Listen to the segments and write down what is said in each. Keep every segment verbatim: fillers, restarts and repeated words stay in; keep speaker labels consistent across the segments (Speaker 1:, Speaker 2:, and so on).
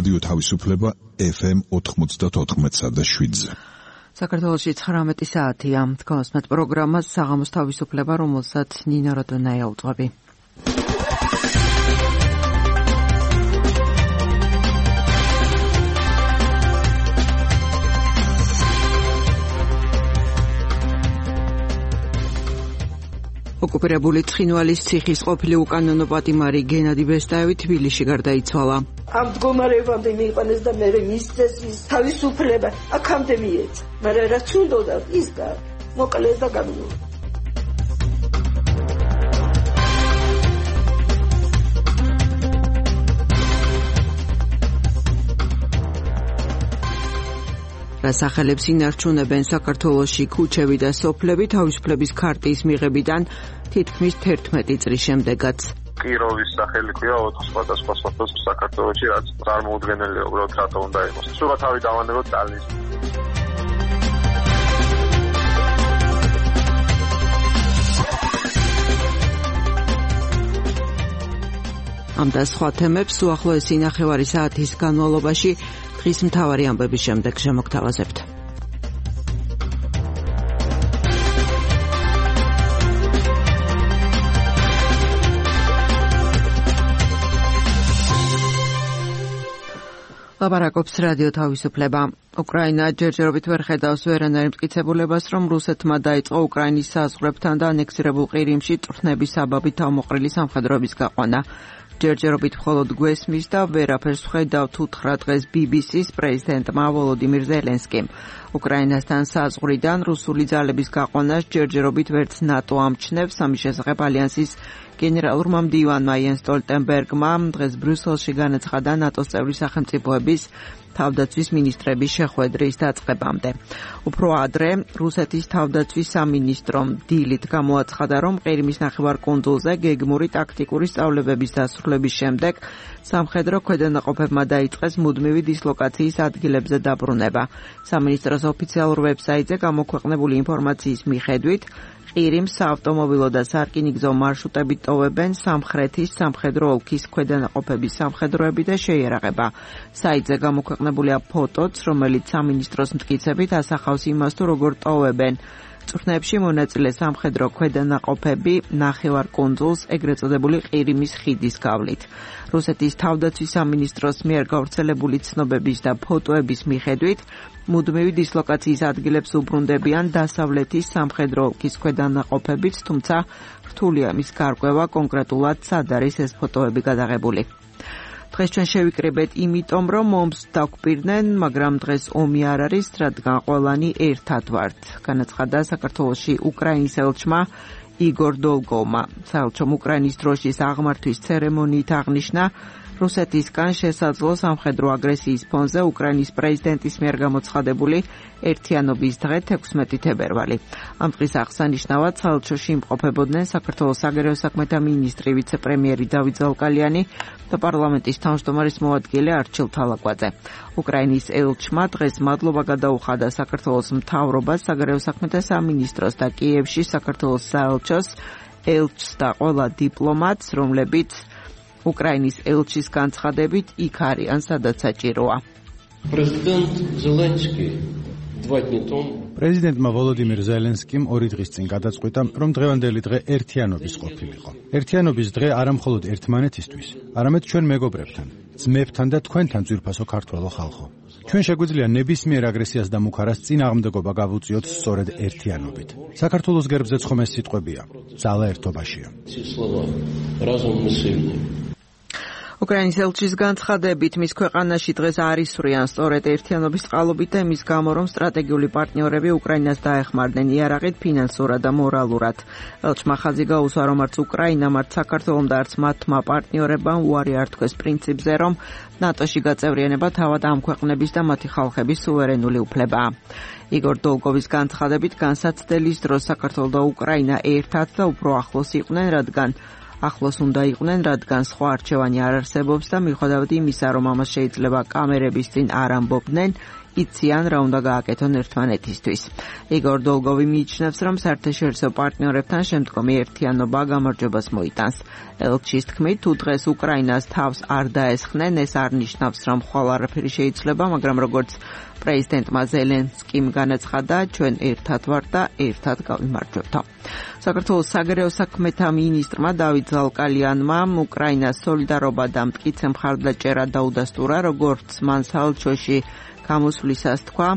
Speaker 1: რადიო თავისუფლება ეფ ემ ოთხმოცდაოთხ და შვიდზე.
Speaker 2: საქართველოში ცხრამეტი საათია. თქვენს პროგრამას საღამოს თავისუფლება, რომელსაც ნინა როდონაია უძღვები. ოკუპირებული ცხინვალის ციხის ყოფილი უკანონო პატიმარი გენადი ბესტაევი თბილისში გარდაიცვალა.
Speaker 3: ამ მდგომარეობამდე მიიყვანეს და მე მისცეს ის თავისუფლება აქამდე მიეცა. მაგრამ რაც უნდოდა ის მოკლეს და გამიო.
Speaker 2: სახელებს ინარჩუნებენ საქართველოში ქუჩები და სოფლები თავისუფლების ქარტიის მიღებიდან თითქმის თერთმეტი წლის შემდეგაც.
Speaker 4: კიროვის სახელი ქვია ოთხ სხვადასხვა სოფელს საქართველოში, რაც წარმოუდგენელია უბრალოდ რატო უნდა იყოს. სულ თავი დავანებოთ წალნის. ამ და სხვა თემებს უახლოესი ნახევარი საათის განმავლობაში დღის მთავარი ამბების შემდეგ შემოგთავაზებთ. ლაპარაკობს რადიო თავისუფლება. უკრაინა ჯერჯერობით ვერ ხედავს ვერანაირ მტკიცებულებას, რომ რუსეთმა დაიწყო უკრაინის საზღვრებთან და ანექსირებულ ყირიმში წვრთნების საბაბით თავმოყრილი სამხედროების გაყვანა. ჯერჯერობით მხოლოდ გვესმის და ვერაფერს ვხედავთ უთხრა დღეს ბი ბი სის პრეზიდენტმა ვოლოდიმირ ზელენსკიმ. უკრაინასთან საზღვრიდან რუსული ძალების გაყვანას ჯერჯერობით ვერც ნატო ამჩნევს. ამის შესახებ ალიანსის გენერალურმა მდივანმა იენს სტოლტენბერგმა დღეს ბრიუსელში განაცხადა ნატოს წევრი სახელმწიფოების თავდაცვის მინისტრების შეხვედრის დაწყებამდე. უფრო ადრე რუსეთის თავდაცვის სამინისტრომ დილით გამოაცხადა, რომ ყირიმის ნახევარკუნძულზე გეგმური ტაქტიკური სწავლებების დასრულების შემდეგ სამხედრო ქვედანაყოფებმა დაიწყეს მუდმივი დისლოკაციის ადგილებზე დაბრუნება. სამინისტროს ოფიციალურ ვებსაიტზე გამოქვეყნებული ინფორმაციის მიხედვით ყირიმს საავტომობილო და სარკინიგზო მარშრუტებით ტოვებენ სამხრეთის სამხედრო ოლქის ქვედანაყოფების სამხედროები და შეიარაღება. საიტზე გამოქვეყნებულია ფოტოც, რომელიც სამინისტროს მტკიცებით ასახავს იმას, თუ როგორ ტოვებენ წვრთნებში მონაწილე სამხედრო ქვედანაყოფები ნახევარკუნძულს, ეგრეთ წოდებული ყირიმის ხიდის გავლით. რუსეთის თავდაცვის სამინისტროს მიერ გავრცელებული ცნობების და ფოტოების მიხედვით მუდმივი დისლოკაციის ადგილებს უბრუნდებიან დასავლეთის სამხედრო ოლქის ქვედანაყოფებით, თუმცა რთულია მის გარკვევა კონკრეტულად სად არის ეს ფოტოები გადაღებული. დღეს ჩვენ შევიკრიბეთ იმიტომ, რომ ომს დაგვპირდნენ, მაგრამ დღეს ომი არ არის, რადგან ყველანი ერთად ვართ. განაცხადა საქართველოში უკრაინის ელჩმა იგორ დოლგოვმა. საელჩომ უკრაინის დროშის აღმართვის ცერემონიით აღნიშნა, რუსეთისგან შესაძლო სამხედრო აგრესიის ფონზე უკრაინის პრეზიდენტის მიერ გამოცხადებული ერთიანობის დღე თექვსმეტი თებერვალი. ამ დღის აღსანიშნავად საელჩოში იმყოფებოდნენ საქართველოს საგარეო საქმეთა მინისტრი, ვიცე-პრემიერი დავით ზალკალიანი და პარლამენტის თავმჯდომარის მოადგილე არჩილ თალაკვაძე. უკრაინის ელჩმა დღეს მადლობა გადაუხადა საქართველოს მთავრობას, საგარეო საქმეთა სამინისტროს და კიევში საქართველოს საელჩოს, ელჩს და ყველა დიპლომატს, რომლებიც უკრაინის ელჩის განცხადებით იქ არიან, სადაც საჭიროა.
Speaker 5: პრეზიდენტ ზელენსკი два дня тому
Speaker 6: პრეზიდენტმა ვოლოდიმირ ზელენსკიმ ორი დღის წინ გადაწყვიტა, რომ დღევანდელი დღე ერთიანობის ყოფილიყო. ერთიანობის დღე არა მხოლოდ ერთმანეთისთვის, არამედ ჩვენ მეგობრებთან, ძმებთან და თქვენთან ძვირფასო ქართველო ხალხო. ჩვენ შეგვიძლია ნებისმიერ აგრესიას და მუქარას წინააღმდეგობა გავუწიოთ სწორედ ერთიანობით. საქართველოს გერბზეც ხომ ეს სიტყვებია, ძალა ერთობაშია.
Speaker 2: უკრაინის ელჩის განცხადებით მის ქვეყანაში დღეს არ ისვრიან სწორედ ერთიანობის წყალობით და იმის გამო, რომ სტრატეგიული პარტნიორები უკრაინას დაეხმარნენ იარაღით, ფინანსურად და მორალურად. ელჩმა ხაზი გაუსვა, რომ არც უკრაინამ, არც საქართველომ და არც მათმა პარტნიორებმა უარი არ თქვეს პრინციპზე, რომ ნატოში გაწევრიანება თავად ამ ქვეყნების და მათი ხალხების სუვერენული უფლებაა. იგორ დოლგოვის განცხადებით განსაცდელის დროს საქართველო და უკრაინა ერთად და უფრო ახლოს იყვნენ, რადგან ახლოს უნდა იყვნენ, რადგან სხვა არჩევანი არ არსებობს და მიუხედავად იმისა, რომ ამას შეიძლება კამერების წინ არ ამბობდნენ, იციან რა უნდა გააკეთონ ერთმანეთისთვის. იგორ დოლგოვი მიიჩნევს, რომ საერთაშორისო პარტნიორებთან შემდგომი ერთიანობა გამარჯვებას მოიტანს. ელჩის თქმით, თუ დღეს უკრაინას თავს არ დაესხნენ, ეს არ ნიშნავს, რომ ხვალ არაფერი შეიძლება, მაგრამ როგორც პრეზიდენტმა ზელენსკიმ განაცხადა, ჩვენ ერთად ვართ და ერთად გავიმარჯვებთ. საქართველოს საგარეო საქმეთა მინისტრმა დავით ზალკალიანმა უკრაინას სოლიდარობა და მტკიცე მხარდაჭერა დაუდასტურა, როგორც მან საელჩოში გამოსვლისას თქვა.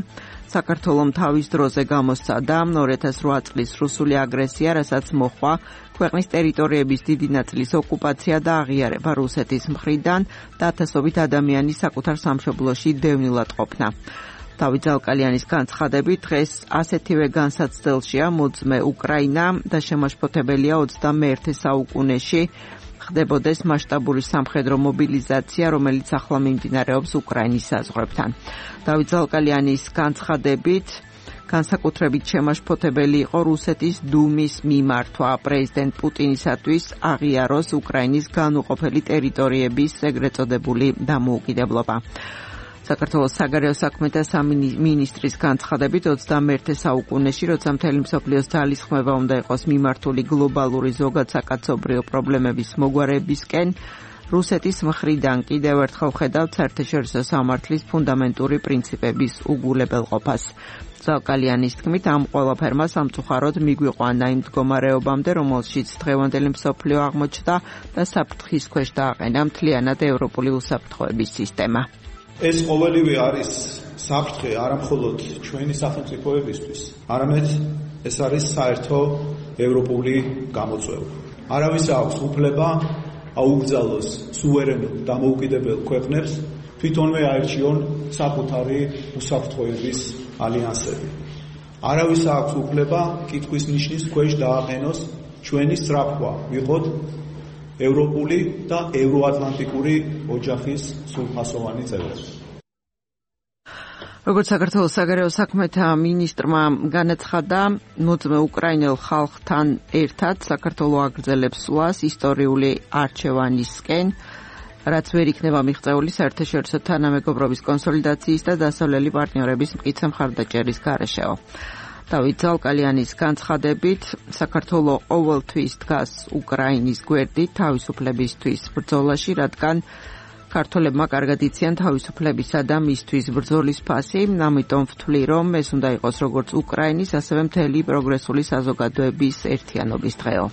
Speaker 2: საქართველომ თავის დროზე გამოსცადა ორი ათას ოთხ წლის რუსული აგრესია, რასაც მოჰყვა ქვეყნის ტერიტორიების დიდი ნაწილის ოკუპაცია და აღიარება რუსეთის მხრიდან და ათასობით ადამიანის საკუთარ სამშობლოში დევნილად ყოფნა. დავით ზალკალიანის განცხადებით, დღეს ასეთივე განსაცდელშია მოძმე უკრაინა და შემაშფოთებელია ოცდამეერთე საუკუნეში ხდებოდეს მასშტაბური სამხედრო მობილიზაცია, რომელიც ახლა მიმდინარეობს უკრაინის საზღვრებთან. დავით ზალკალიანის განცხადებით, განსაკუთრებით შემაშფოთებელი იყო რუსეთის დუმის მიმართვა პრეზიდენტ პუტინისათვის აღიაროს უკრაინის განუყოფელი ტერიტორიების ეგრეთ წოდებული დამოუკიდებლობა. საქართველოს საგარეო საქმეთა სამინისტრის განცხადებით, ოცდამეერთე საუკუნეში, როცა მთელი მსოფლიოს ძალისხმევა უნდა იყოს მიმართული გლობალური ზოგადსაკაცობრიო პრობლემების მოგვარებისკენ, რუსეთის მხრიდან კიდევ ერთხელ ხედავთ საერთაშორისო სამართლის ფუნდამენტური პრინციპების უგულებელყოფას. ზალკალიანის თქმით, ამ ყველაფერმა სამწუხაროდ მიგვიყვანა იმ მდგომარეობამდე, რომელშიც დღევანდელი მსოფლიო აღმოჩნდა და საფრთხის ქვეშ დააყენა მთლიანად ევროპული უსაფრთხოების სისტემა.
Speaker 7: ეს ყოველივე არის საფრთხე არა მხოლოდ ჩვენი სახელმწიფოებისთვის, არამედ ეს არის საერთო ევროპული გამოწვევა. არავის აქვს უფლება აუკრძალოს სუვერენულ დამოუკიდებელ ქვეყნებს თვითონვე აირჩიონ საკუთარი უსაფრთხოების ალიანსები. არავის აქვს უფლება კითხვის ნიშნის ქვეშ დააყენოს ჩვენი სწრაფვა ვიყოთ ევროპული და ევროატლანტიკური ოჯახის სრულფასოვანი წევრები.
Speaker 2: როგორც საქართველოს საგარეო საქმეთა მინისტრმა განაცხადა, მოძმე უკრაინელ ხალხთან ერთად საქართველო აგრძელებს სვლას ისტორიული არჩევანისკენ, რაც ვერ იქნება მიღწეული საერთაშორისო თანამეგობრობის კონსოლიდაციის და დასავლელი პარტნიორების მტკიცე მხარდაჭერის გარეშეო. დავით ზალკალიანის განცხადებით, საქართველო ყოველთვის დგას უკრაინის გვერდით თავისუფლებისთვის ბრძოლაში, რადგან ქართველებმა კარგად იციან თავისუფლებისა და მისთვის ბრძოლის ფასი, ამიტომ ვთვლი, რომ ეს უნდა იყოს როგორც უკრაინის, ასევე მთელი პროგრესული საზოგადოების ერთიანობის დღეო.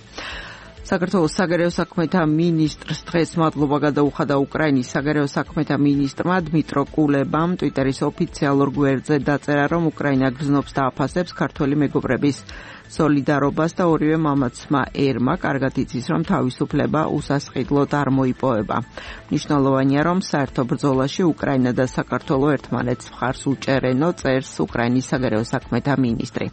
Speaker 2: საქართველოს საგარეო საქმეთა მინისტრს დღეს მადლობა გადაუხადა უკრაინის საგარეო საქმეთა მინისტრმა დმიტრო კულებამ ტვიტერის ოფიციალურ გვერდზე დაწერა, რომ უკრაინა გრძნობს და აფასებს ქართველი მეგობრების სოლიდარობას და ორივე მამაცმა ერმა კარგად იცის, რომ თავისუფლება უსასყიდლოდ არ მოიპოვება. მნიშვნელოვანია, რომ საერთო ბრძოლაში უკრაინა და საქართველო ერთმანეთს მხარს უჭერენო, წერს უკრაინის საგარეო საქმეთა მინისტრი.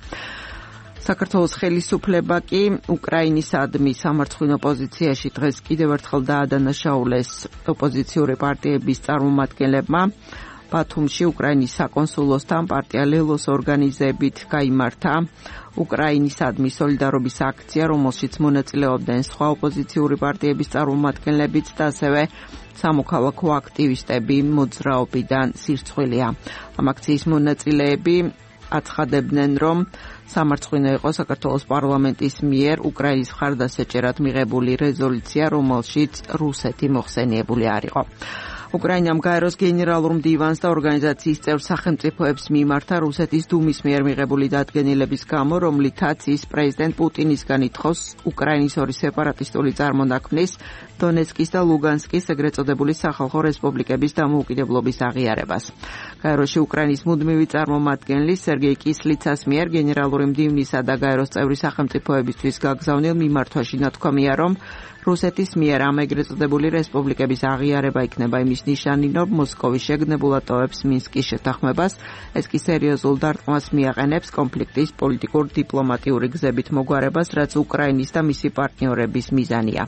Speaker 2: საქართველოს ხელისუფლება კი უკრაინისადმი სამარცხვინო პოზიციაში დღეს კიდევ ერთხელ დაადანაშაულეს ოპოზიციური პარტიების წარმომადგენლებმა. ბათუმში უკრაინის საკონსულოსთან პარტია ლელოს ორგანიზებით გაიმართა უკრაინისადმი სოლიდარობის აქცია, რომელშიც მონაწილეობდნენ სხვა ოპოზიციური პარტიების წარმომადგენლებიც და ასევე სამოქალაქო აქტივისტები მოძრაობიდან სირცხვილია. ამ აქციის მონაწილეები აცხადებდნენ, რომ სამარცხვინო იყო საქართველოს პარლამენტის მიერ უკრაინის მხარდასაჭერად მიღებული რეზოლუცია, რომელშიც რუსეთი მოხსენიებული არ იყო. უკრაინამ გაეროს გენერალურ მდივანს და ორგანიზაციის წევრ სახელმწიფოებს მიმართა რუსეთის დუმის მიერ მიღებული დადგენილების გამო, რომლითაც ის პრეზიდენტ პუტინისგან ითხოვს უკრაინის ორი სეპარატისტული წარმონაქმნის, დონეცკის და ლუგანსკის ეგრეთ წოდებული სახალხო რესპუბლიკების დამოუკიდებლობის აღიარებას. გაეროში უკრაინის მუდმივი წარმომადგენლის სერგეი კისლიცას მიერ გენერალური მდივნისა და გაეროს წევრი სახელმწიფოებისთვის გაგზავნილ მიმართვაში ნათქვამია, რომ რუსეთის მიერ ამ ეგრეთ წოდებული რესპუბლიკების აღიარება იქნება იმის ნიშანი, რომ მოსკოვი შეგნებულად ტოვებს მინსკის შეთანხმებას, ეს კი სერიოზულ დარტყმას მიაყენებს კონფლიქტის პოლიტიკურ დიპლომატიური გზებით მოგვარებას, რაც უკრაინის და მისი პარტნიორების მიზანია.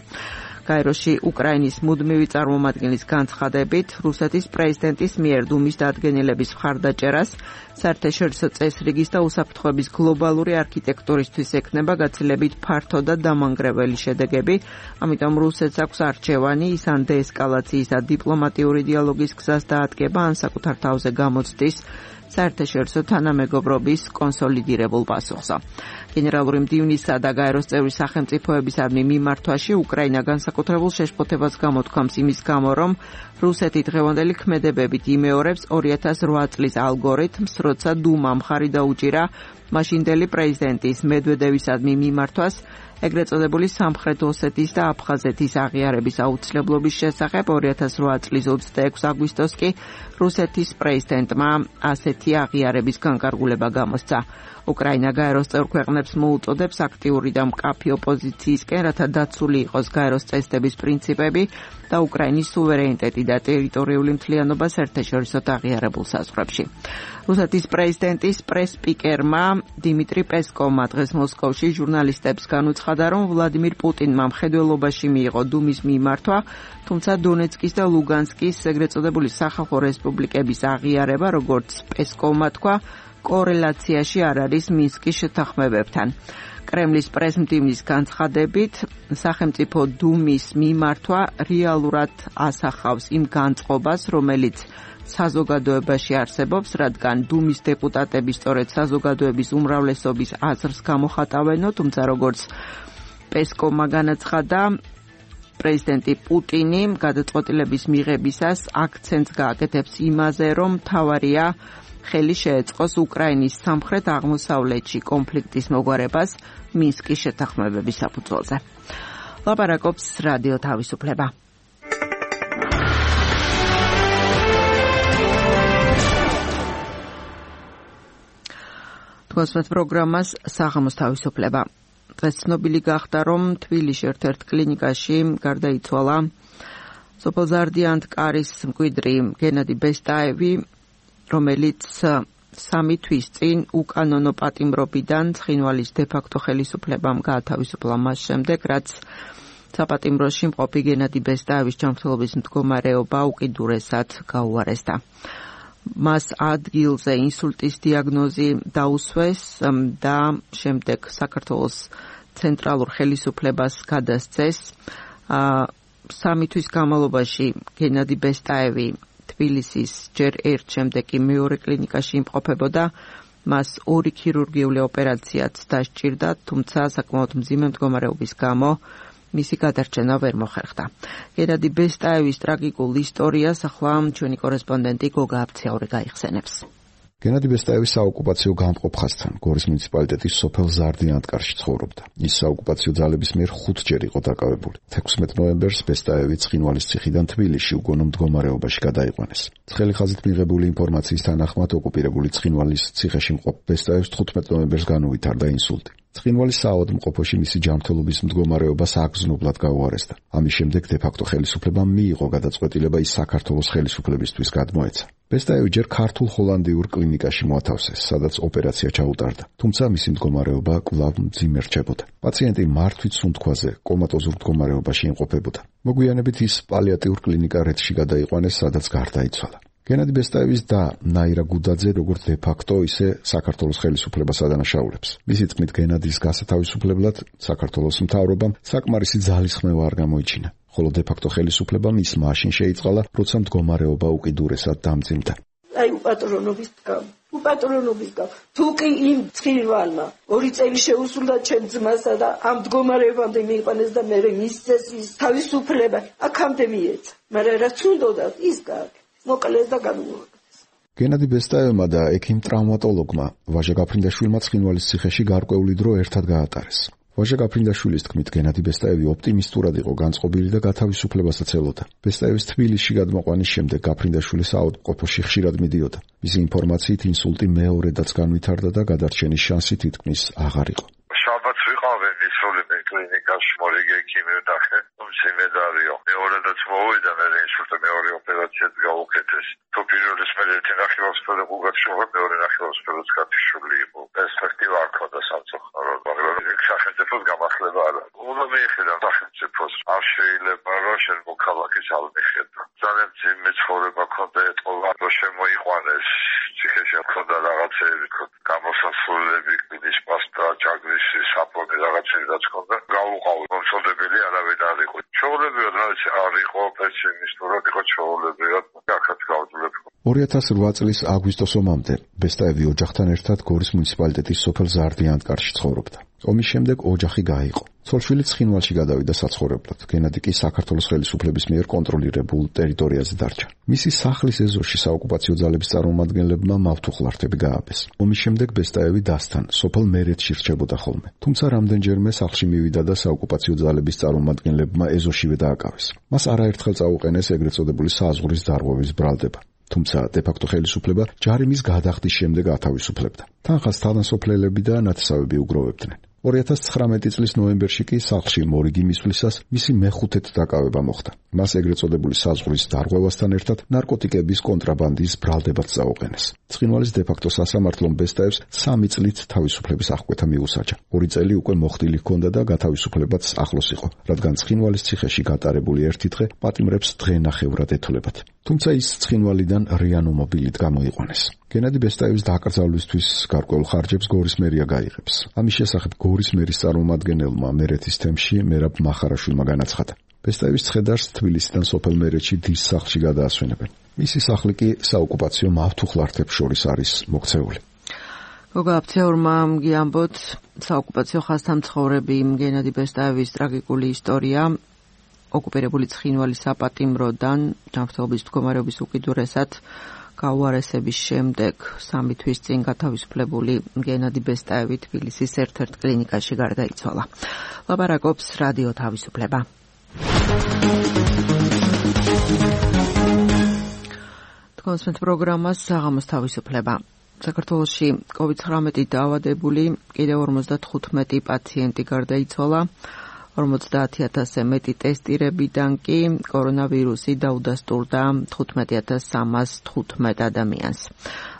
Speaker 2: გაეროში უკრაინის მუდმივი წარმომადგენლის განცხადებით, რუსეთის პრეზიდენტის მიერ დუმის დადგენილების მხარდაჭერას საერთაშორისო წესრიგის და უსაფრთხოების გლობალური არქიტექტურისთვის ექნება გაცილებით ფართო და დამანგრეველი შედეგები, ამიტომ რუსეთს აქვს არჩევანი, ის ან დეესკალაციის და დიპლომატიური დიალოგის გზას დაადგება, ან საკუთარ თავზე გამოცდის საერთაშორისო თანამეგობრობის კონსოლიდირებულ პასუხსა. გენერალური მდივნისა და გაეროს წევრი სახელმწიფოებისადმი მიმართვაში უკრაინა განსაკუთრებულ შეშფოთებას გამოთქვამს იმის გამო, რომ რუსეთი დღევანდელი ქმედებებით იმეორებს ორი ათას რვა წლის ალგორითმს, როცა დუმამ ხარი დაუჭირა მაშინდელი პრეზიდენტის მედვედევისადმი მიმართვას ეგრეთ წოდებული სამხრეთ ოსეთის და აფხაზეთის აღიარების აუცილებლობის შესახებ. ორი ათას რვა წლის ოცდაექვსი აგვისტოს კი რუსეთის პრეზიდენტმა ასეთი აღიარების განკარგულება გამოსცა. უკრაინა გაეროს წევრ ქვეყნებს მოუწოდებს აქტიური და მკაფიო პოზიციისკენ, რათა დაცული იყოს გაეროს წესდების პრინციპები და უკრაინის სუვერენიტეტი და ტერიტორიული მთლიანობა საერთაშორისო აღიარებულ საზღვრებში. რუსეთის პრეზიდენტის პრეს-სპიკერმა დიმიტრი პესკოვმა დღეს მოსკოვში ჟურნალისტებს განუცხადა, რომ ვლადიმირ პუტინმა მხედველობაში მიიღო დუმის მიმართვა, თუმცა დონეცკის და ლუგანსკის ეგრეთ წოდებული სახალხო რესპუბლიკების აღიარება, როგორც პესკოვმა თქვა, კორელაციაში არ არის მინსკის შეთანხმებებთან. კრემლის პრესმდივნის განცხადებით, სახელმწიფო დუმის მიმართვა რეალურად ასახავს იმ განწყობას, რომელიც საზოგადოებაში არსებობს, რადგან დუმის დეპუტატები სწორედ საზოგადოების უმრავლესობის აზრს გამოხატავენო, თუმცა როგორც პესკოვმა განაცხადა, პრეზიდენტი პუტინი გადაწყვეტილების მიღებისას აქცენტს გააკეთებს იმაზე, რომ მთავარია ხელი შეეწყოს უკრაინის სამხრეთ აღმოსავლეთში კონფლიქტის მოგვარებას მინსკის შეთანხმებების საფუძველზე. ლაპარაკობს რადიო თავისუფლება. თქვენს პროგრამას საღამოს თავისუფლება. დღეს ცნობილი გახდა, რომ თბილისში ერთ-ერთ კლინიკაში გარდაიცვალა სოფელ ზარდიანთკარის მკვიდრი გენადი ბესტაევი, რომელიც სამი თვის წინ უკანონო პატიმრობიდან ცხინვალის დე-ფაქტო ხელისუფლებამ გაათავისუფლა მას შემდეგ, რაც საპატიმროში მყოფი გენადი ბესტაევის ჯანმრთელობის მდგომარეობა უკიდურესად გაუარესდა. მას ადგილზე ინსულტის დიაგნოზი დაუსვეს და შემდეგ საქართველოს ცენტრალურ ხელისუფლებას გადასცეს. სამი თვის განმავლობაში გენადი ბესტაევი თბილისის ჯერ ერთ, შემდეგ კი მეორე კლინიკაში იმყოფებოდა. მას ორი ქირურგიული ოპერაციაც დასჭირდა, თუმცა საკმაოდ მძიმე მდგომარეობის გამო მისი გადარჩენა ვერ მოხერხდა. გენადი ბესტაევის ტრაგიკულ ისტორიას ახლა ჩვენი კორესპონდენტი გოგა აფციაური გაიხსენებს.
Speaker 8: გენადი ბესტაევი საოკუპაციო გამყოფხასთან გორის მუნიციპალიტეტის სოფელ ზარდიანთკარში ცხოვრობდა. ის საოკუპაციო ძალების მიერ ხუთჯერ იყო დაკავებული. თექვსმეტ ნოემბერს ბესტაევი ცხინვალის ციხიდან თბილისში უგონო მდგომარეობაში გადაიყვანეს. ცხელი ხაზით მიღებული ინფორმაციის თანახმად ოკუპირებული ცხინვალის ციხეში მყოფ ბესტაევს თხუთმეტ ნოემბერს განუვითარდა ინსულტი. ცხინვალის საავადმყოფოში მისი ჯანმრთელობის მდგომარეობა საგრძნობლად გაუარესდა. ამის შემდეგ დე-ფაქტო ხელისუფლებამ მიიღო გადაწყვეტილება ის საქართველოს ხელისუფლებისთვის გადმოეცა. ბესტაევი ჯერ ქართულ ჰოლანდიურ კლინიკაში მოათავსეს, სადაც ოპერაცია ჩაუტარდა, თუმცა მისი მდგომარეობა კვლავ მძიმე რჩებოდა. პაციენტი მართვის სუნთქვაზე კომატოზურ მდგომარეობაში იმყოფებოდა. მოგვიანებით ის პალიატიურ კლინიკა რეთში გადაიყვანეს, სადაც გარდაიცვალა. გენადი ბესტაევის და ნაირა გუდაძე როგორც დე-ფაქტო, ისე საქართველოს ხელისუფლებას ადანაშაულებს. მისი თქმით, გენადის გასათავისუფლებლად საქართველოს მთავრობამ საკმარისი ძალისხმევა არ გამოიჩინა. ხოლო დე-ფაქტო ხელისუფლებამ ის მაშინ შეიწყალა, როცა მდგომარეობა უკიდურესად დამძიმდა.
Speaker 3: აი უპატრონობის გამო, უპატრონობის გამო. თუ კი იმ ცხინვალმა ორი წელი შეუსრულდა ჩემ ძმასა და ამ მდგომარეობამდე მიიყვანეს და მე მისცეს ის თავისუფლება, აქამდე მიეცა. მაგრამ რაც უნდოდა ის გააკეთა. მოკლეს და განუაკეთეს.
Speaker 8: გენადი ბესტაევმა და ექიმ ტრავმატოლოგმა ვაჟა გაფრინდაშვილმა ცხინვალის ციხეში გარკვეული დრო ერთად გაატარეს. ვაჟა გაფრინდაშვილის თქმით, გენადი ბესტაევი ოპტიმისტურად იყო განწყობილი და გათავისუფლებასაც ელოდა. ბესტაევის თბილისში გადმოყვანის შემდეგ გაფრინდაშვილი საავადმყოფოში ხშირად მიდიოდა. მისი ინფორმაციით ინსულტი მეორედაც განვითარდა და გადარჩენის შანსი თითქმის აღარ იყო.
Speaker 9: შაბათს ვიყავი ისოლები კლინიკაში, მორიგი ექიმი ვდახე, უმციმედარიო. მეორედაც მოვიდა, მე ინსულტი მეორე ოპერაციაც გაუკეთეს. თუ პირველის მე ერთი ნახევარსფერო გუგაჩოვა, მეორე ნახევარსფეროც გათიშული იყო. პერსპექტივა არ ქონდა სამწუხაროდ, მაგრამ იქ სახელმწიფოს გამახლება არა. უნდა მიეხედა სახელმწიფოს, არ შეიძლება რომ შენ მოქალაქის არ მიხედა. ძალიან მძიმე ცხოვრება ქონდა ეტყობა, რომ შემოიყვანეს ციხეში ქონდა რაღაცეები, გამოსასვლელები, კვირის მას დაჭაგრის საფონი რაღაცები რაც ქონდა გავუყავ კონსოლდებელი არავინ არ იყო ჩაოლებიოდ რაც არ იყო პესიმისტურად იყო ჩაოლებიოდ აქაც გავძლებ
Speaker 8: ორი ათას რვა წლის აგვისტოს ომამდე ბესტაევი ოჯახთან ერთად გორის მუნიციპალიტეტის სოფელ ზარდიანტკარში ცხოვრობდა. ომის შემდეგ ოჯახი გაიყო. ცოლშვილი ცხინვალში გადავიდა საცხოვრებლად. გენადი კი საქართველოს ხელისუფლების მიერ კონტროლირებულ ტერიტორიაზე დარჩა. მისი სახლის ეზოში საოკუპაციო ძალების წარმომადგენლებმა მავთუხლართები გააბეს. ომის შემდეგ ბესტაევი დასთან სოფელ მერეთში რჩებოდა ხოლმე. თუმცა რამდენჯერმე სახლში მივიდა და საოკუპაციო ძალების წარმომადგენლებმა ეზოშივე დააკავეს. მას არაერთხელ წაუყენეს ეგრეთ წოდებული საზღვრის დარღვევის ბრალდება. თუმცა დე-ფაქტო ხელისუფლება ჯარიმის გადახდის შემდეგ ათავისუფლებდა. თანხას თანასოფლელები და ნათესავები უგროვებდნენ. ორი ათას ცხრამეტი წლის ნოემბერში კი სახლში მორიგი მისვლისას მისი მეხუთედ დაკავება მოხდა. მას ეგრეთ წოდებული საზღვრის დარღვევასთან ერთად ნარკოტიკების კონტრაბანდის ბრალდებაც წაუყენეს. ცხინვალის დე-ფაქტო სასამართლომ ბესტაევს სამი წლით თავისუფლების აღკვეთა მიუსაჯა. ორი წელი უკვე მოხდილი ჰქონდა და გათავისუფლებაც ახლოს იყო, რადგან ცხინვალის ციხეში გატარებული ერთი დღე პატიმრებს დღენახევრად ეთოლებათ. თუმცა ის ცხინვალიდან რიანო მობილით გამოიყვანეს. გენადი ბესტაევის დაკრძალვისთვის გარკვეულ ხარჯებს გორის მერია გაიღებს. ამის შესახებ გორის მერის წარმომადგენელმა მერეთის თემში მერაბ მახარაშვილმა განაცხადა. ბესტაევის ცხედარს თბილისიდან სოფელ მერეთში დის სახლში გადაასვენებენ. მისი სახლი კი საოკუპაციო მავთუხლართებს შორის არის მოქცეული.
Speaker 2: გოგა აფცეურმა გიამბოთ საოკუპაციო ხაზთან მცხოვრები გენადი ბესტაევის ტრაგიკული ისტორია ოკუპირებული ცხინვალის საპატიმროდან ჯანმრთელობის მდგომარეობის უკიდურესად გაუარესების შემდეგ სამი თვის წინ გათავისუფლებული გენადი ბესტაევი თბილისის ერთ-ერთ კლინიკაში გარდაიცვალა. ლაპარაკობს რადიო თავისუფლება. თქვენს პროგრამას საღამოს თავისუფლება. საქართველოში კოვიდ ცხრამეტი დაავადებული კიდევ ორმოცდათხუთმეტი პაციენტი გარდაიცვალა. ორმოცდაათი ათასზე მეტი ტესტირებიდან კი კორონავირუსი დაუდასტურდა თხუთმეტი ათას სამას თხუთმეტ ადამიანს.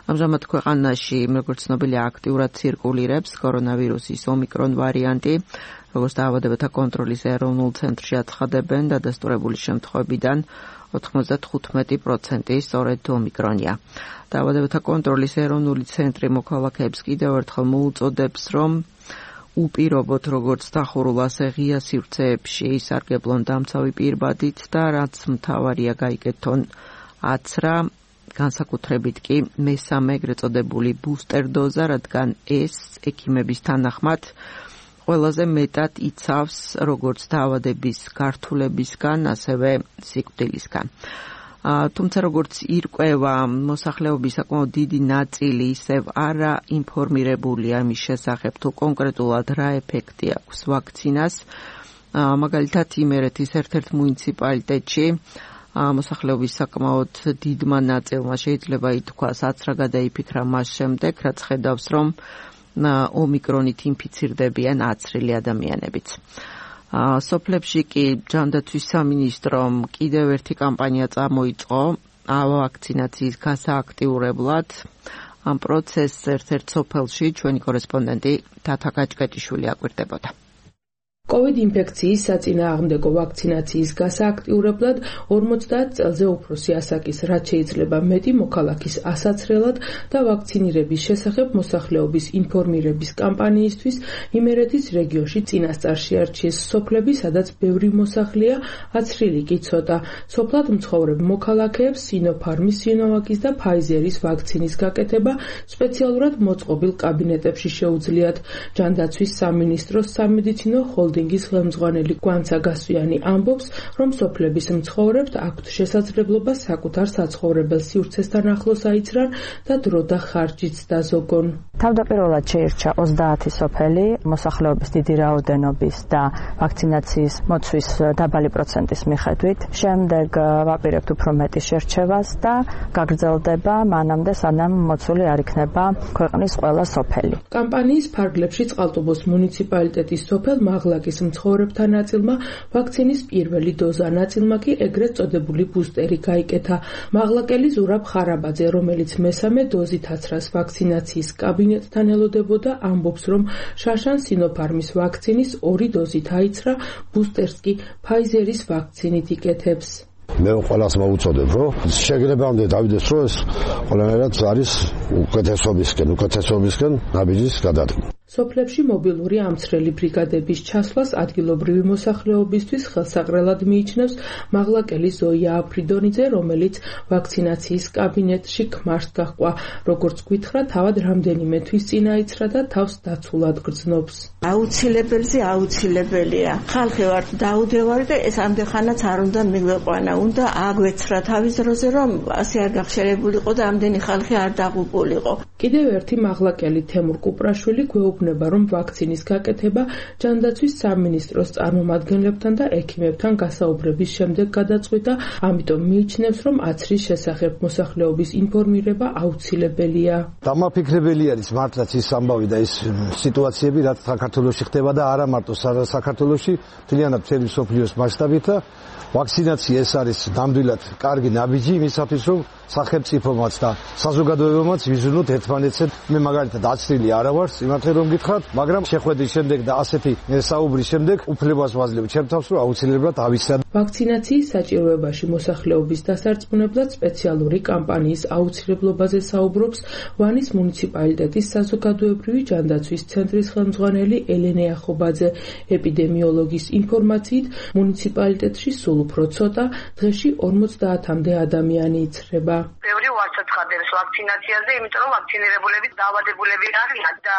Speaker 2: ამჟამად ქვეყანაში, როგორც ცნობილია, აქტიურად ცირკულირებს კორონავირუსის ომიკრონ ვარიანტი, როგორც დაავადებათა კონტროლის ეროვნულ ცენტრში აცხადებენ, დადასტურებული შემთხვევებიდან ოთხმოცდათხუთმეტი პროცენტი სწორედ ომიკრონია. დაავადებათა კონტროლის ეროვნული ცენტრი მოქალაქეებს კიდევ ერთხელ მოუწოდებს, რომ უპირობოთ როგორც დახურულ, ასე ღია სივრცეებში სარგებლონ დამცავი პირბადით და რაც მთავარია გაიგეთონ აცრა, განსაკუთრებით კი მესამე ეგრეთ წოდებული ბუსტერ დოზა, რადგან ეს ექიმების თანახმად ყველაზე მეტად იცავს როგორც დაავადების გართულებისგან, ასევე სიკვდილისგან. თუმცა როგორც ირკვევა, მოსახლეობის საკმაოდ დიდი ნაწილი ისევ არა ინფორმირებულია იმის შესახებ, თუ კონკრეტულად რა ეფექტი აქვს ვაქცინას. მაგალითად, იმერეთის ერთ-ერთ მუნიციპალიტეტში მოსახლეობის საკმაოდ დიდმა ნაწილმა შეიძლება ითქვას, აცრა გადაიფიქრა მას შემდეგ, რაც ხედავს, რომ ომიკრონით ინფიცირდებიან აცრილი ადამიანებიც. სოფლებში კი ჯანდაცვის სამინისტრომ კიდევ ერთი კამპანია წამოიწყო ვაქცინაციის გასააქტიურებლად. ამ პროცესს ერთ-ერთ სოფელში ჩვენი კორესპონდენტი თათა გაჭკეტიშვილი აკვირდებოდა.
Speaker 10: კოვიდ ინფექციის საწინააღმდეგო ვაქცინაციის გასააქტიურებლად ორმოცდაათ წელზე უფროსი ასაკის რაც შეიძლება მეტი მოქალაქის ასაცრელად და ვაქცინირების შესახებ მოსახლეობის ინფორმირების კამპანიისთვის იმერეთის რეგიონში წინასწარში არჩიეს სოფლები, სადაც ბევრი მოსახლეა, აცრილი კი ცოტა. სოფლად მცხოვრებ მოქალაქეებს სინოფარმის, სინოვაკის და ფაიზერის ვაქცინის გაკეთება სპეციალურად მოწყობილ კაბინეტებში შეუძლიათ. ჯანდაცვის სამინისტროს სამედიცინო ხოლ დინგის ხელმძღვანელი გვანცა გასვიანი ამბობს, რომ სოფლების მცხოვრებთ აქვთ შესაძლებლობა საკუთარ საცხოვრებელ სივრცესთან ახლოს აიცრან და დრო და ხარჯიც დაზოგონ.
Speaker 11: თავდაპირველად შეირჩა ოცდაათი სოფელი მოსახლეობის დიდი რაოდენობის და ვაქცინაციის მოცვის დაბალი პროცენტის მიხედვით. შემდეგ ვაპირებთ უფრო მეტი შერჩევას და გაგრძელდება მანამდე, სანამ მოცული არ იქნება ქვეყნის ყველა სოფელი.
Speaker 10: კამპანიის ფარგლებში წყალტუბოს მუნიციპალიტეტის სოფელ მაღლაკის მცხოვრებთა ნაწილმა ვაქცინის პირველი დოზა, ნაწილმა კი ეგრეთ წოდებული ბუსტერი გაიკეთა. მაღლაკელი ზურაბ ხარაბაძე, რომელიც მესამე დოზით აცრას ვაქცინაციის კაბინეტთან ელოდებოდა, ამბობს, რომ შაშან სინოფარმის ვაქცინის ორი დოზით აიცრა, ბუსტერს კი ფაიზერის ვაქცინით იკეთებს.
Speaker 12: მე ყველას მოუწოდებ, რომ შეგრებამდე დავიდეს, რომ ეს ყველანაირად არის უკეთესობისკენ, უკეთესობისკენ ნაბიჯის გადადგმა.
Speaker 10: სოფლებში მობილური ამცრელი ბრიგადების ჩასვლას ადგილობრივი მოსახლეობისთვის ხელსაყრელად მიიჩნევს მაღლაკელის ზოია აფრიდონიძე, რომელიც ვაქცინაციის კაბინეტში ქმარს გაჰყვა. როგორც გითხრა, თავად რამდენიმე თვის წინ აიცრა და თავს დაცულად გრძნობს.
Speaker 3: აუცილებელზე აუცილებელია. ხალხი ვარ, დაუდევარი და ეს ამდენხანაც არ უნდა მიგვეყვანა. უნდა აგვეცრა თავის დროზე, რომ ასე არ გახშერებულიყო და ამდენი ხალხი არ დაღუპულიყო.
Speaker 10: კიდევ ერთი მაღლაკელი თემურ კუპრაშვილი გვეუბნება, რომ ვაქცინის გაკეთება ჯანდაცვის სამინისტროს წარმომადგენლებთან და ექიმებთან გასაუბრების შემდეგ გადაწყვიტა, ამიტომ მიიჩნევს, რომ აცრის შესახებ მოსახლეობის ინფორმირება აუცილებელია.
Speaker 12: დამაფიქრებელი არის მართლაც ის ამბავი და ის სიტუაციები, რაც საქართველოში ხდება და არა მარტო საქართველოში, მთლიანად მთელი მსოფლიოს მასშტაბით. ვაქცინაცია ეს არის ნამდვილად კარგი ნაბიჯი იმისათვის, რომ სახელმწიფომაც და საზოგადოებამაც ვიზუნოთ ერთმანეთს. მე მაგალითად აცრილი არა ვარ, იმათე რომ გითხრათ, მაგრამ შეხვედრის შემდეგ და ასეთი საუბრის შემდეგ უფლებას ვაძლევ ჩემ თავს, რომ აუცილებლად ავიცრა.
Speaker 10: ვაქცინაციის საჭიროებაში მოსახლეობის დასარწმუნებლად სპეციალური კამპანიის აუცილებლობაზე საუბრობს ვანის მუნიციპალიტეტის საზოგადოებრივი ჯანდაცვის ცენტრის ხელმძღვანელი ელენე ახობაძე. ეპიდემიოლოგის ინფორმაციით, მუნიციპალიტეტში სულ უფრო ცოტა, დღეში ორმოცდაათამდე ადამიანი იცრება.
Speaker 13: ბევრი ვარსაცხადებს ვაქცინაციაზე, იმიტომ რომ ვაქცინირებულები დაავადებულები არიან და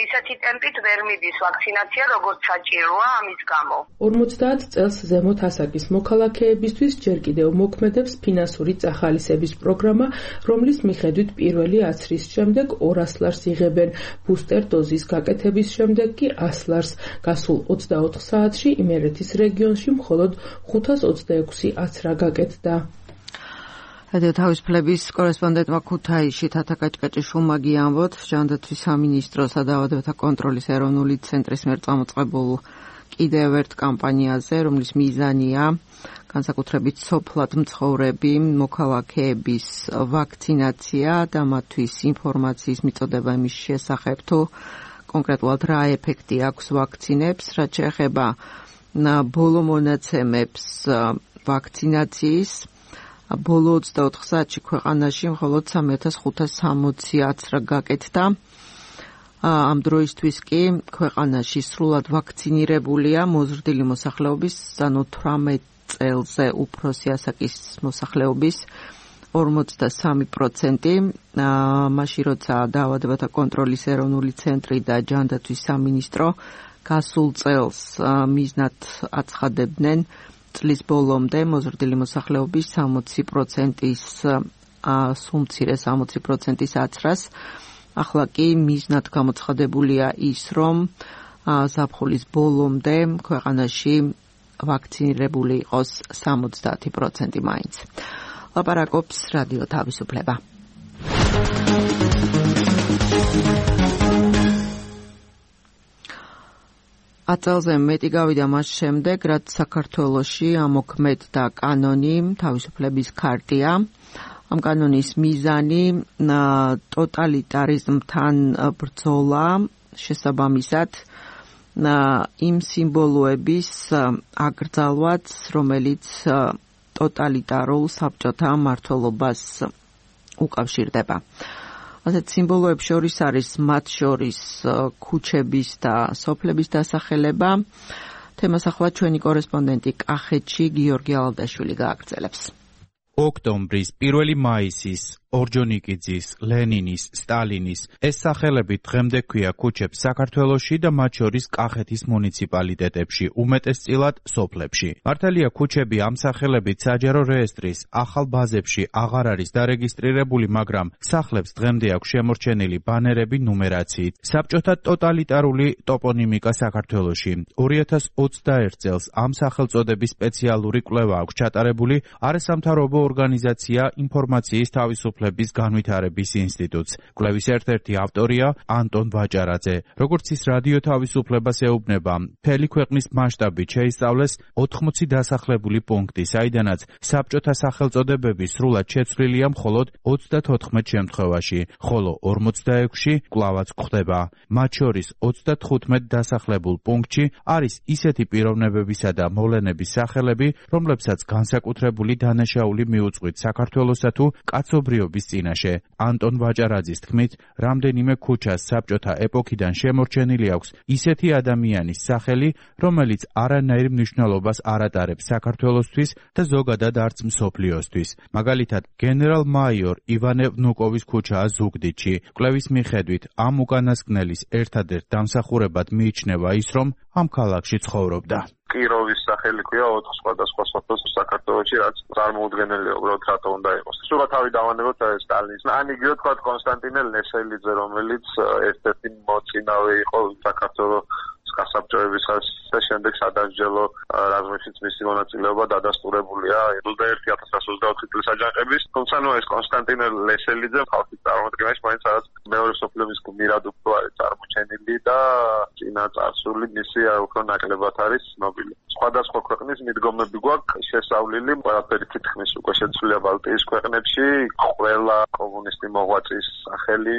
Speaker 13: ისეთი ტემპით ვერ მიდის ვაქცინაცია, როგორც საჭიროა ამის გამო.
Speaker 10: ორმოცდაათ წელს ზემოთ ასაკის მოქალაქეებისთვის ჯერ კიდევ მოქმედებს ფინანსური წახალისების პროგრამა, რომლის მიხედვით პირველი აცრის შემდეგ ორას ლარს იღებენ, ბუსტერ დოზის გაკეთების შემდეგ კი ას ლარს. გასულ ოცდაოთხ საათში იმერეთის რეგიონში მხოლოდ ხუთას ოცდაექვსი აცრა გაკეთდა.
Speaker 4: რადიო თავისუფლების კორესპონდენტმა ქუთაისში თათა კაჭკაჭიშვილმა გიამბოთ, ჯანდაცვის სამინისტროსა და დაავადებათა კონტროლის ეროვნული ცენტრის მიერ წამოწყებულ კიდევ ერთ კამპანიაზე, რომლის მიზანია განსაკუთრებით სოფლად მცხოვრები მოქალაქეების ვაქცინაცია და მათთვის ინფორმაციის მიწოდება იმის შესახებ, თუ კონკრეტულად რა ეფექტი აქვს ვაქცინებს, რაც შეეხება ბოლო მონაცემებს ვაქცინაციის. ბოლო ოცდაოთხ საათში ქვეყანაში მხოლოდ სამი ათას ხუთას სამოცი აცრა გაკეთდა. ამ დროისთვის კი ქვეყანაში სრულად ვაქცინირებულია მოზრდილი მოსახლეობის, ანუ თვრამეტ წელზე უფროსი ასაკის მოსახლეობის ორმოცდასამი პროცენტი. მაშინ როცა დაავადებათა კონტროლის ეროვნული ცენტრი და ჯანდაცვის სამინისტრო გასულ წელს მიზნად აცხადებდნენ წლის ბოლომდე მოზრდილი მოსახლეობის სამოცი პროცენტის სუმცირე სამოცი პროცენტის აცრას. ახლა კი მიზნად გამოცხადებულია ის, რომ ზაფხულის ბოლომდე ქვეყანაში ვაქცინირებული იყოს სამოცდაათი პროცენტი მაინც. ლაპარაკობს რადიო თავისუფლება. აწელზე მეტი გავიდა მას შემდეგ, რაც საქართველოში ამოქმედდა კანონი თავისუფლების ქარტია. ამ კანონის მიზანი ტოტალიტარიზმთან ბრძოლა, შესაბამისად იმ სიმბოლოების აკრძალვაც, რომელიც ტოტალიტარულ საბჭოთა მმართველობას უკავშირდება. ასეთ სიმბოლოებს შორის არის მათ შორის ქუჩების და სოფლების დასახელება. თემას ახლა ჩვენი კორესპონდენტი კახეთში გიორგი ალადაშვილი გააგრძელებს.
Speaker 14: ოქტომბრის, პირველი მაისის, ორჯონიკიძის, ლენინის, სტალინის ეს სახელები დღემდე ქვია ქუჩებს საქართველოში და მათ შორის კახეთის მუნიციპალიტეტებში, უმეტესწილად სოფლებში. მართალია ქუჩები ამ სახელებით საჯარო რეესტრის ახალ ბაზებში აღარ არის დარეგისტრირებული, მაგრამ სახლებს დღემდე აქვს შემორჩენილი ბანერები ნუმერაციით. საბჭოთა ტოტალიტარული ტოპონიმიკა საქართველოში. ორი ათას ოცდაერთ წელს ამ სახელწოდების სპეციალური კვლევა აქვს ჩატარებული არასამთავრობო ორგანიზაცია ინფორმაციის თავისუფლების განვითარების ინსტიტუტს. კვლევის ერთ-ერთი ავტორია ანტონ ვაჭარაძე. როგორც ის რადიო თავისუფლებას ეუბნება, მთელი ქვეყნის მასშტაბით შეისწავლეს ოთხმოცი დასახლებული პუნქტი, საიდანაც საბჭოთა სახელწოდებები სრულად შეცვლილია მხოლოდ ოცდათოთხმეტ შემთხვევაში, ხოლო ორმოცდაექვსში კვლავაც გვხდება. მათ შორის ოცდათხუთმეტ დასახლებულ პუნქტში არის ისეთი პიროვნებებისა და მოვლენების სახელები, რომლებსაც განსაკუთრებული დანაშაული მიუწყვით საქართველოსა თუ კაცობრიობის მოსახლეობის წინაშე. ანტონ ვაჭარაძის თქმით, რამდენიმე ქუჩას საბჭოთა ეპოქიდან შემორჩენილი აქვს ისეთი ადამიანის სახელი, რომელიც არანაირ მნიშვნელობას არ ატარებს საქართველოსთვის და ზოგადად არც მსოფლიოსთვის. მაგალითად, გენერალ-მაიორ ივანე ვნუკოვის ქუჩაა ზუგდიდში. კვლევის მიხედვით, ამ უკანასკნელის ერთადერთ დამსახურებად მიიჩნევა ის, რომ ამ ქალაქში ცხოვრობდა.
Speaker 15: კიროვის სახელი ქვია ოთხ სხვადასხვა სოფელს საქართველოში, რაც წარმოუდგენელია უბრალოდ რატო უნდა იყოს. სულ თავი დავანებოთ სტალინის. ან იგივე თქვა კონსტანტინე ლესელიძე, რომელიც ერთ-ერთი მოწინავე იყო საქართველოს გასაბჭოებისას და შემდეგ სადასჯელო რაზმებშიც მისი მონაწილეობა დადასტურებულია ოცდაერთი ათას ათას ოცდაოთხი წლის აჯანყების. თუმცა ნუ ეს კონსტანტინე ლესელიძე ხალხის წარმოადგენაში მაინც რაღაც მეორე მსოფლიო ომის გმირად უფრო არის წარმოჩენილი და წინა წარსული მისი უფრო ნაკლებად არის ცნობილი. სხვადასხვა ქვეყნის მიდგომები გვაქვს შესავლილი, ყველაფერი თითქმის უკვე შეცვლილია ბალტიის ქვეყნებში, ყველა კომუნისტი მოღვაწის სახელი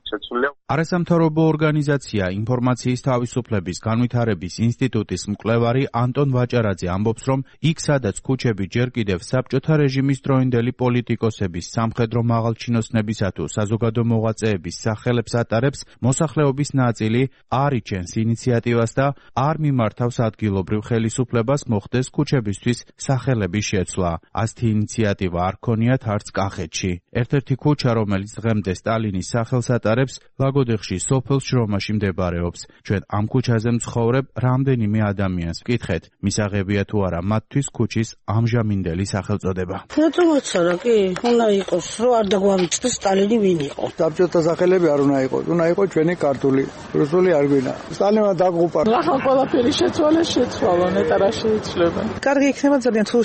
Speaker 15: შეცვლილია.
Speaker 14: არასამთავრობო ორგანიზაცია ინფორმაციის თავისუფლების განვითარების ინსტიტუტის მკვლევარი ანტონ ვაჭარაძე ამბობს, რომ იქ სადაც ქუჩები ჯერ კიდევ საბჭოთა რეჟიმის დროინდელი პოლიტიკოსების, სამხედრო მაღალჩინოსნებისა თუ საზოგადო მოღვაწეების სახელებს ატარებს, მოსახლეობის ნაწილი არ იჩენს ინიციატივას და არ მიმართავს ადგილობრივ ხელისუფლებას მოხდეს ქუჩებისთვის სახელების შეცვლა. ასეთი ინიციატივა არ ქონიათ არც კახეთში. ერთ-ერთი ქუჩა, რომელიც დღემდე სტალინის სახელს ატარებს, ლაგოდეხში სოფელ შრომაში მდებარეობს. ჩვენ ამ ქუჩაზე მცხოვრებ რამდენიმე ადამიანს ვკითხეთ, მისაღებია თუ არა მათთვის ქუჩის ამჟამინდელი სახელწოდება.
Speaker 16: მოწმოცანა კი, უნდა იყოს, რომ არ დაგვამიჩნდეს სტალინი ვინ იყო.
Speaker 17: საბჭოთა სახელები არ უნდა იყოს, უნდა იყოს ჩვენი ქართული, რუსული არ გვინა. სტალინმა დაგუპა.
Speaker 18: ახლა ყველაფერი შეცვალე შეცვალა, ნეტა რა შეიცვლება.
Speaker 19: კარგი იქნება ძალიან თუ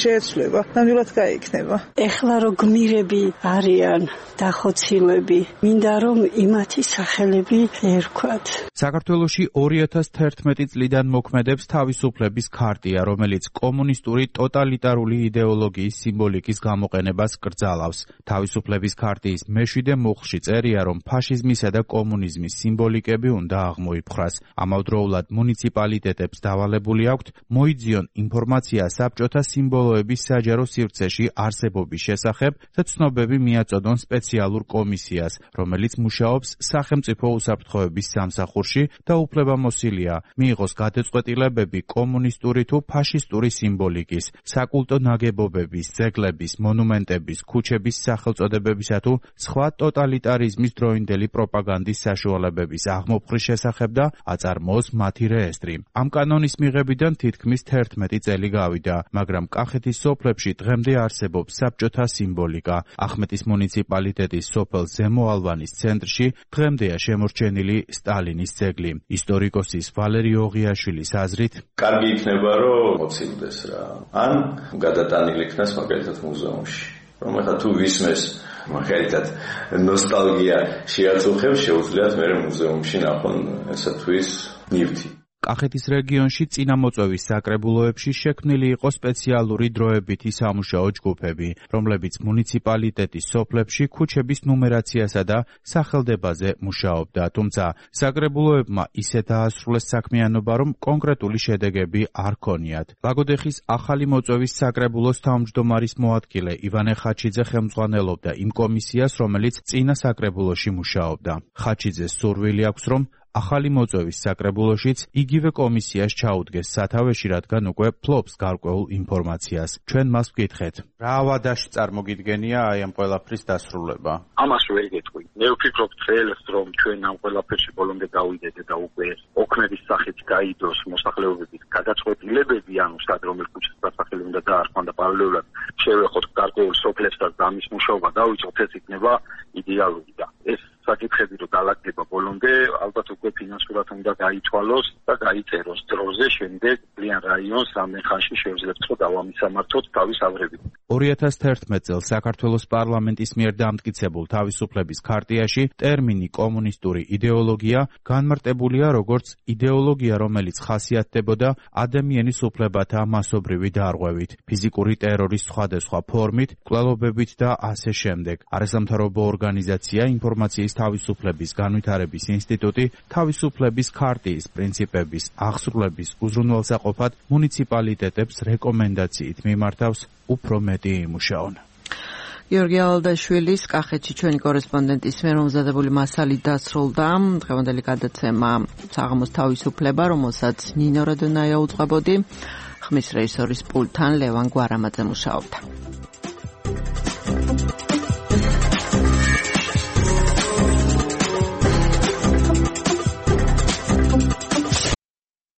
Speaker 19: შეეცვლება, ნამდვილად გაიქნება.
Speaker 16: ეხლა რო გმირები არიან დახოცილები, მინდა რომ იმათი სახელები ერქვათ.
Speaker 14: საქართველოში ორი ათას თერთმეტი წლიდან მოქმედებს თავისუფლების ქარტია, რომელიც კომუნისტური ტოტალიტარული იდეოლოგიის სიმბოლიკის გამოყენებას კრძალავს. თავისუფლების ქარტიის მეშვიდე მუხლში წერია, რომ ფაშიზმისა და კომუნიზმის სიმბოლიკები უნდა აღმოიფხრას. ამავდროულად მუნიციპალიტეტებს დავალებული აქვთ მოიძიონ ინფორმაცია საბჭოთა სიმბოლოების საჯარო სივრცეში არსებობის შესახებ და ცნობები მიაწოდონ სპეციალურ კომისიას, რომელიც მუშაობს სახელმწიფო უსაფრთხოების სამსახურში და უფლებამოსილია მიიღოს გადაწყვეტილებები კომუნისტური თუ ფაშისტური სიმბოლიკის, საკულტო ნაგებობების, ძეგლების, მონუმენტების, ქუჩების სახელწოდებებისა თუ სხვა ტოტალიტარიზმის დროინდელი პროპაგანდის საშუალებების აღმოფხრის შესახებ და აწარმოოს მათი რეესტრი. ამ კანონის მიღებიდან თითქმის თერთმეტი წელი გავიდა, მაგრამ კახეთის სოფლებში დღემდე არსებობს საბჭოთა სიმბოლიკა. ახმეტის მუნიციპალიტეტის სოფელ ზემო ალვანის ცენტრში დღემდეა შემორჩენილი სტალინის ძეგლი. ისტორიკოსის ვალერი ოღიაშვილის აზრით,
Speaker 20: კარგი იქნება რომ მოცილდეს რა. ან გადატანილი იქნას მაგალითად მუზეუმში. რომ ახლა თუ ვისმეს მაგალითად ნოსტალგია შეაწუხებს, შეუძლიათ მე მუზეუმში ნახონ ესათვის ნივთი.
Speaker 14: კახეთის რეგიონში წინამოწვევის საკრებულოებში შექმნილი იყო სპეციალური დროებითი სამუშაო ჯგუფები, რომლებიც მუნიციპალიტეტის სოფლებში ქუჩების ნუმერაციასა და სახელდებაზე მუშაობდა, თუმცა საკრებულოებმა ისეთ დაასრულეს საქმიანობა, რომ კონკრეტული შედეგები არ ქონიათ. ლაგოდეხის ახალი მოწვევის საკრებულოს თავმჯდომარის მოადგილე ივანე ხაჩიძე ხელმძღვანელობდა იმ კომისიას, რომელიც წინა საკრებულოში მუშაობდა. ხაჩიძეს სურვილი აქვს, რომ ახალი მოწვევის საკრებულოშიც იგივე კომისიას ჩაუდგეს სათავეში, რადგან უკვე ფლობს გარკვეულ ინფორმაციას. ჩვენ მას ვკითხეთ, რა ვადაში წარმოგიდგენია აი ამ ყველაფრის დასრულება?
Speaker 21: ამას ვერ გეტყვი. მე ვფიქრობ წელს, რომ ჩვენ ამ ყველაფერში ბოლომდე გავიდეთ და უკვე ოქმების სახით გაიდოს მოსახლეობების გადაწყვეტილებები, ანუ სად რომელ ქუჩას დასახელი უნდა დაარქვან და პარალელურად შევეხოთ გარკვეულ სოფლებსაც და ამის მუშაობა დავიწყოთ, ეს იქნება idеალური და ეს საკითხები რომ დაალაგდება ბოლომდე, ალბათ უკვე ფინანსურად უნდა გაითვალოს და გაიწეროს დროზე, შემდეგ ძალიან რაიონს რამდენ ხანში შევძლებთ რომ დავამისამართოთ თავის აღრებით.
Speaker 14: ორი ათას თერთმეტ წელს საქართველოს პარლამენტის მიერ დამტკიცებულ თავისუფლების ქარტიაში ტერმინი კომუნისტური იდეოლოგია განმარტებულია როგორც იდეოლოგია, რომელიც ხასიათდებოდა ადამიანის უფლებათა მასობრივი დარღვევით, ფიზიკური ტერორის სხვადასხვა ფორმით, კვლელობებით და ასე შემდეგ. არასამთავრობო ორგანიზაცია ინფორმაციის თავისუფლების განვითარების ინსტიტუტი თავისუფლების ქარტიის პრინციპების აღსრულების უზრუნველსაყოფად მუნიციპალიტეტებს რეკომენდაციით მიმართავს უფრო მეტი იმუშაონ.
Speaker 2: გიორგი ალადაშვილის კახეთში ჩვენი კორესპონდენტის მიერ მომზადებული მასალი დასრულდა. დღევანდელი გადაცემა საღამოს თავისუფლება, რომელსაც ნინო რადონაია უწყებოდი. ხმის რეჟისორის პულტთან ლევან გვარამაძე მუშაობდა.